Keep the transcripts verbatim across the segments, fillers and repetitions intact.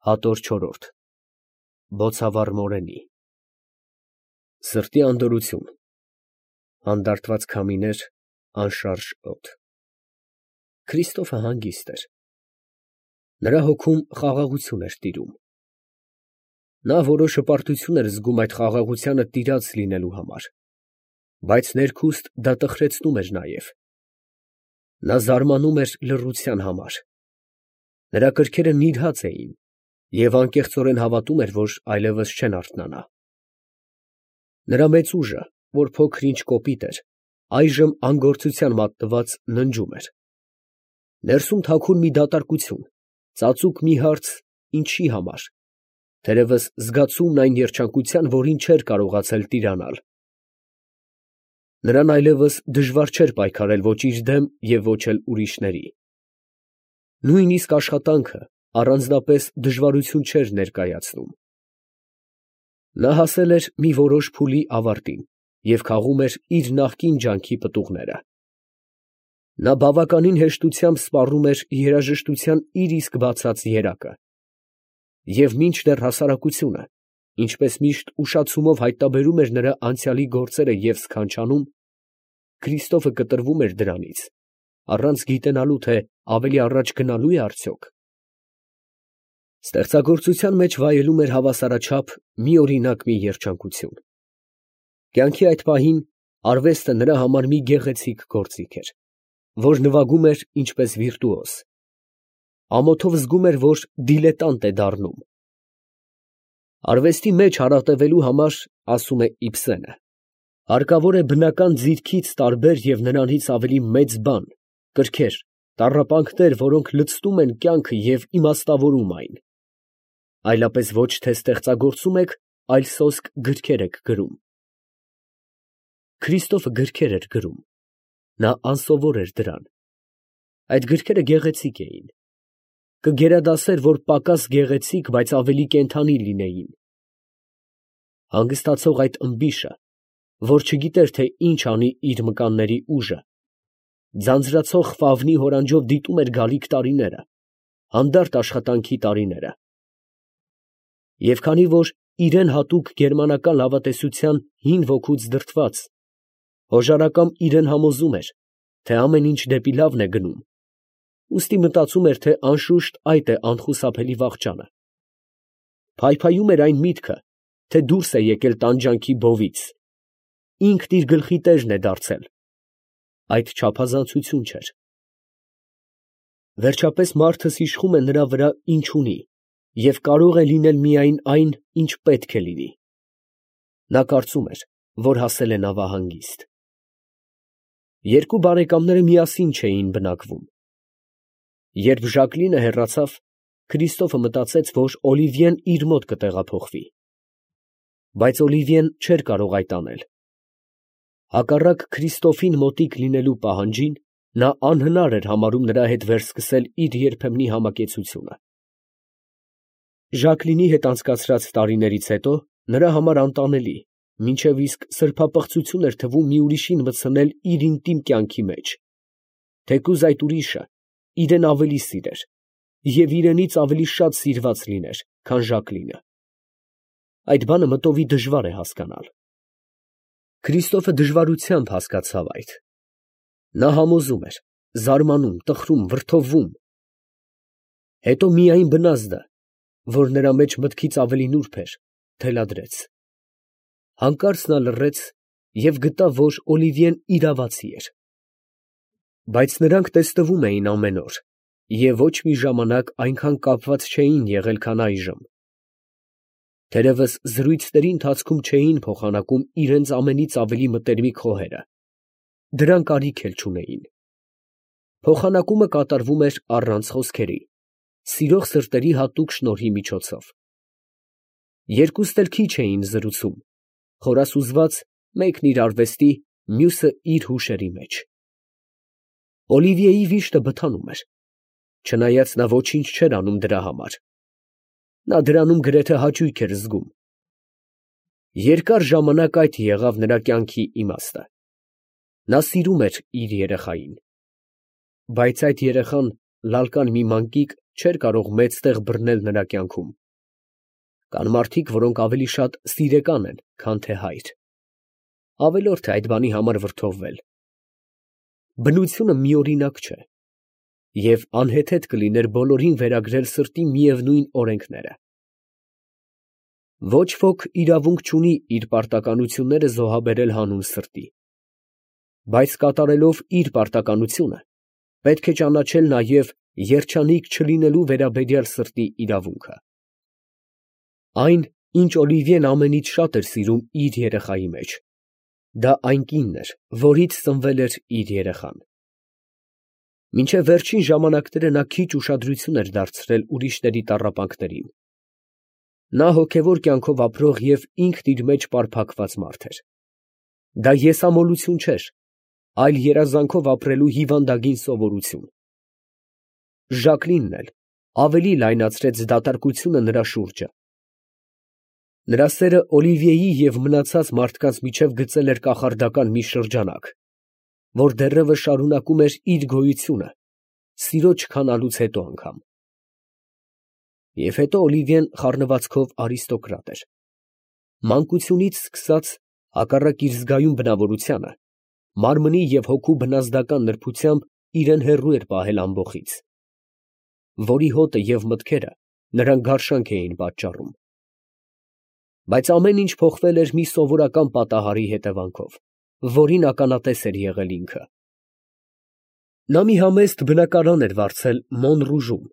Հատոր չորրորդ Բոցավառ Մորենի Սրտի անդորրություն, հանդարտված քամիներ, անշարժ օդ։ Քրիստոֆը հանգիստ էր։ Նրա հոգում խաղաղություն էր տիրում։ Նա որոշ հպարտություն էր զգում այդ խաղաղությանը տիրած լինելու համար, բայց ներքուստ դա տխրեցնում էր նաև։ Նա զարմանում էր լռության համար։ Նրա կրքերը նիրհած էին, և անկեղծորեն հավատում էր, որ այլևս չեն արթնանա։ Նրա մեծ ուժը, որ փոքր-ինչ կոպիտ էր, այժմ անգործության մատնված ննջում էր։ Ներսում թաքուն մի դատարկություն, ծածուկ մի հարց՝ ինչի համար, թերևս զգացումն այն երջանկության, որին չէր կարողացել տիրանալ։ Նրան այլևս դժվար չէր պայքարել ոչ իր դեմ և ոչ էլ ուրիշների։ Նույնիսկ աշխատանքը առանձնապես դժվարություն չէր ներկայացնում։ Նա հասել էր մի որոշ փուլի ավարտին և քաղում էր իր նախկին ջանքի պտուղները։ Նա բավականին հեշտությամբ սպառում էր երաժշտության իր իսկ բացած երակը։ Եվ մինչդեռ հասարակությունը, ինչպես միշտ ուշացումով հայտնաբերում էր նրա անցյալի գործերը և սքանչանում, Քրիստոֆը կտրվում էր դրանից, առանց գիտենալու, թե ավելի առաջ գնալո՞ւ է արդյոք։ Ստեղծագործության մեջ վայելում էր հավասարաչափ միօրինակ մի երջանկություն։ Կյանքի այդ պահին արվեստը նրա համար մի գեղեցիկ գործիք էր, որ նվագում էր ինչպես վիրտուոզ։ Ամոթով զգում էր, որ դիլետանտ է դառնում։ Արվեստի մեջ հարատևելու համար, ասում է Իբսենը, հարկավոր է բնական ձիրքից տարբեր և նրանից ավելի մեծ բան, կրքեր, տառապանքներ, որոնք լցնում են կյանքը և իմաստավորում այն։ Այլապես ոչ թե ստեղծագործում եք, այլ սոսկ գրքեր եք գրում։ Քրիստոֆը գրքեր էր գրում։ Նա անսովոր էր դրան։ Այդ գրքերը գեղեցիկ էին։ Կգերադասեր, որ պակաս գեղեցիկ, բայց ավելի կենդանի լինեին։ Հանգստացող այդ ըմբիշը, որ չգիտեր, թե ինչ անի իր մկանների ուժը, ձանձրացող Ֆավնի հորանջով դիտում էր գալիք տարիները, հանդարտ աշխատանքի տարիները։ Եվ քանի որ իրան հատուկ գերմանական լավատեսության հին ոգուց դրդված, հոժարակամ իրան համոզում էր, թե ամեն ինչ դեպի լավն է գնում, ուստի մտածում էր, թե անշուշտ այդ է անխուսափելի վախճանը։ Փայփայում էր այն միտքը, թե դուրս է եկել տանջանքի բովից, ինքն իր գլխի տերն է դարձել։ Այդ չափազանցություն չէր։ Վերջապես մարդս իշխում է նրա վրա ինչ ունի, և կարող է լինել միայն այն, ինչ պետք է լինի։ Նա կարծում էր, որ հասել է նավահանգիստ։ Երկու բարեկամները միասին չէին բնակվում։ Երբ Ժակլինը հեռացավ, Քրիստոֆը մտածեց, որ Օլիվիեն իր մոտ կտեղափոխվի։ Բայց Օլիվիեն չէր կարող այդ անել։ Հակառակ Քրիստոֆին մոտիկ լինելու պահանջին, նա անհնար էր համարում նրա հետ վերսկսել իր երբեմնի համակեցությունը։ Ժակլինի հետ անցկացրած տարիներից հետո նրա համար անտանելի, մինչև իսկ սրբապղծություն էր թվում մի ուրիշին մտցնել իր ինտիմ կյանքի մեջ, թեկուզ այդ ուրիշը իրան ավելի սիրեր և իրենից ավելի շատ սիրված լիներ, քան Ժակլինը։ Այդ բանը մտովի դժվար է հասկանալ։ Քրիստոֆը դժվարությամբ հասկացավ այդ։ Նա համոզում էր, զարմանում, տխրում, վրդովվում։ Հետո միայն բնազդը, որ նրա մեջ մտքից ավելի նուրբ էր, թելադրեց։ Հանկարծ նա լռեց և գտավ, որ Օլիվիեն իրավացի էր։ Բայց նրանք տեսնվում էին ամեն օր և ոչ մի ժամանակ այնքան կապված չէին եղել, քան այժմ։ Թերևս զրույցների ընթացքում չէին փոխանակում իրենց ամենից ավելի մտերմիկ խոհերը, դրան կարիք էլ չունեին։ Փոխանակումը կատարվում էր առանց խոսքերի, սիրող սրտերի հատուկ շնորհի միջոցով։ Երկուստ էլ քիչ էին զրուցում, խորասուզված, մեկն իր արվեստի, մյուսը իր հուշերի մեջ։ Օլիվիեի վիշտը բթանում էր, չնայած նա ոչինչ չէր անում դրա համար։ Նա դրանում գրեթե հաճույք էր զգում։ Երկար ժամանակ այդ եղավ նրա կյանքի իմաստը։ Նա սիրում էր իր երեխային։ Բայց այդ երեխան լալկան մի մանկիկ չէր կարող մեծ տեղ բռնել նրա կյանքում։ Կան մարդիկ, որոնք ավելի շատ սիրեկան են, քան թե հայր։ Ավելորդ է այդ բանի համար վրդովվել։ Բնությունը միօրինակ չէ, և անհեթեթ կլիներ բոլորին վերագրել սրտի միևնույն օրենքները։ Ոչ ոք իրավունք չունի իր պարտականությունները զոհաբերել հանուն սրտի, բայց կատարելով իր պարտականությունը, պետք է ճանաչել նաև երջանիկ չլինելու վերաբերյալ սրտի իրավունքը։ Այն, ինչ Օլիվիեն ամենից շատ էր սիրում իր երեխայի մեջ, դա այն կինն էր, որից սնվել էր իր երեխան։ Մինչև վերջին ժամանակները նա քիչ ուշադրություն էր դարձրել ուրիշների տառապանքներին։ Նա հոգևոր կյանքով ապրող և ինքն իր մեջ պարփակված մարդ էր։ Դա եսամոլություն չէր, այլ երազանքով ապրելու հիվանդագին սովորություն։ Ժակլինն էլ ավելի լայնացրեց դատարկությունը նրա շուրջը։ Նրա սերը Օլիվիեի և մնացած մարդկանց միջև գծել էր կախարդական մի շրջանակ, որ դեռևս շարունակում էր իր գոյությունը, սիրո չքանալուց հետո անգամ։ Եվ հետո Օլիվիեն խառնվածքով արիստոկրատ էր։ Մանկությունից սկսած, հակառակ իր զգայուն բնավորությանը, մարմնի և հոգու բնազդական նրբությամբ իրեն հեռու էր պահել ամբոխից, որի հոտը և մտքերը նրան գարշանք էին պատճառում։ Բայց ամեն ինչ փոխվել էր մի սովորական պատահարի հետևանքով, որին ականատես էր եղել ինքը։ Նա մի համեստ բնակարան էր վարձել Մոնռուժում,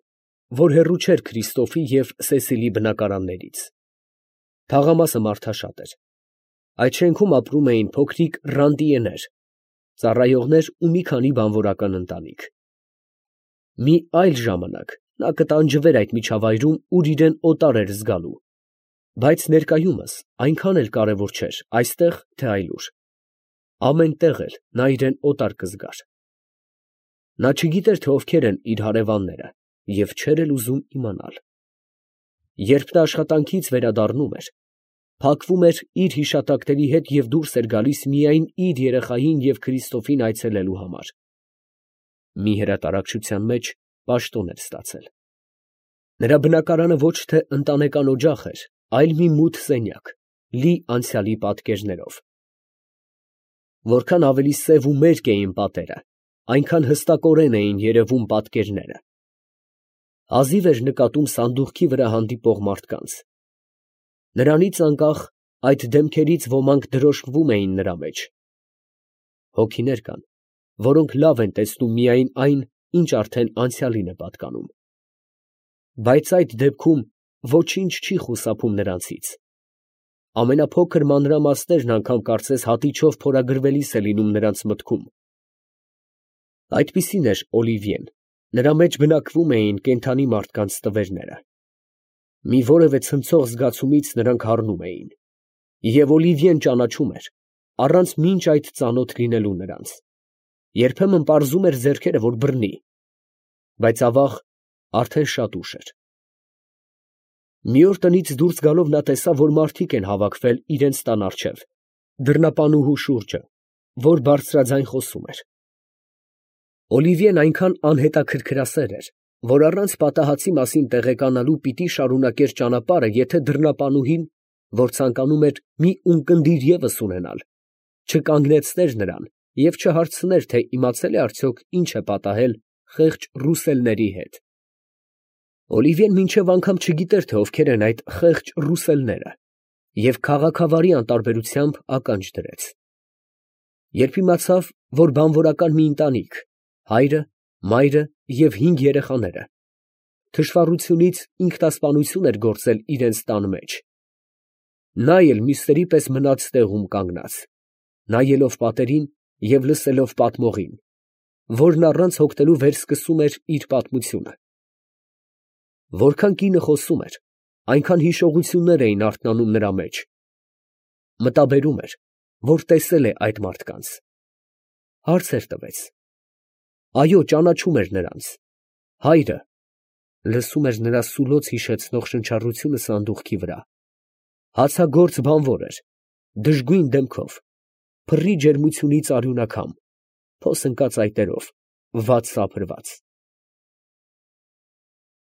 որ հեռու չէր Քրիստոֆի և Սեսիլի բնակարաններից։ Թաղամասը մարդաշատ էր։ Այդ շենքում ապրում էին փոքրիկ ռանտիեներ, ծառայողներ ու մի քանի բանվորական ընտանիք։ Մի այլ ժամանակ նա կտանջվեր այդ միջավայրում, ուր իրեն օտար էր զգալու, բայց ներկայումս այնքան էլ կարևոր չէր այստեղ, թե այլուր։ Ամեն տեղ էլ նա իրեն օտար կզգար։ Նա չգիտեր, թե ովքեր են իր հարևանները և չէր էլ ուզում իմանալ։ Երբ նա աշխատանքից վերադառնում էր, փակվում էր իր հիշատակների հետ և դուրս էր գալիս միայն իր երեխային և Քրիստոֆին այցելելու համար։ Մի հրատարակչության մեջ պաշտոն էր ստացել։ Նրա բնակարանը ոչ թե ընտանեկան օջախ էր, այլ մի մութ սենյակ, լի անցյալի պատկերներով։ Որքան ավելի սև ու մերկ էին պատերը, այնքան հստակորեն էին երևում պատկերները։ Հազիվ էր նկատում սանդուղքի վրա հանդիպող մարդկանց։ Նրանից անկախ այդ դեմքերից ոմանք դրոշմվում էին նրա մեջ։ Հոգիներ կան, որոնք լավ են տեսնում միայն այն, ինչ արդեն անցյալին է պատկանում։ Բայց այդ դեպքում ոչինչ չի խուսափում նրանցից։ Ամենափոքր մանրամասներն անգամ կարծես հատիչով փորագրվելիս է լինում նրանց մտքում։ Այդպիսին էր Օլիվիեն, նրա մեջ բնակվում էին կենդանի մարդկանց տվերները։ Մի որևէ ցնցող զգացումից նրանք հառնում էին։ Եվ Օլիվիեն ճանաչում էր, առանց մինչ այդ ծանոթ լինելու նրանց։ Երբեմն պարզում էր ձեռքերը, որ բռնի, բայց ավաղ արդեն շատ ուշ էր։ Մի օր տնից դուրս գալով նա տեսավ, որ մարդիկ են հավաքվել իրենց տան առջև, դռնապանուհու շուրջը, որ բարձրաձայն խոսում էր։ Օլիվիեն այնքան անհետաքրքրասեր էր, որ առանց պատահածի մասին տեղեկանալու պիտի շարունակեր ճանապարհը, եթե դռնապանուհին, որ ցանկանում էր մի ունկնդիր ևս ունենալ, չկանգնեցներ նրան և չհարցներ, թե իմացել է արդյոք ինչ է պատահել խեղճ ռուսելների հետ։ Օլիվիեն մինչև անգամ չգիտեր, թե ովքեր են այդ խեղճ ռուսելները, և քաղաքավարի անտարբերությամբ ականջ դրեց։ Երբ իմացավ, որ բանվորական մի ընտանիք, հայրը, մայրը և հինգ երեխաները, թշվառությունից ինքնասպանություն էր գործել իրենց տան մեջ, նա էլ մյուսների պես մնաց տեղում կանգնած, նայելով պատերին և լսելով պատմողին, որն առանց հոգնելու վերսկսում էր իր պատմությունը։ Որքան կինը խոսում էր, այնքան հիշողություններ էին արթնանում նրա մեջ։ Մտաբերում էր, որ տեսել է այդ մարդկանց։ Հարցեր տվեց։ Այո, ճանաչում էր նրանց։ Հայրը լսում էր նրա սուլոց հիշեցնող շնչառությունը սանդուղքի վրա։ Հացագործ բանվոր էր, դժգույն դեմքով, փռի ջերմությունից արյունաքամ, փոս ընկած այտերով, վատ սափրված։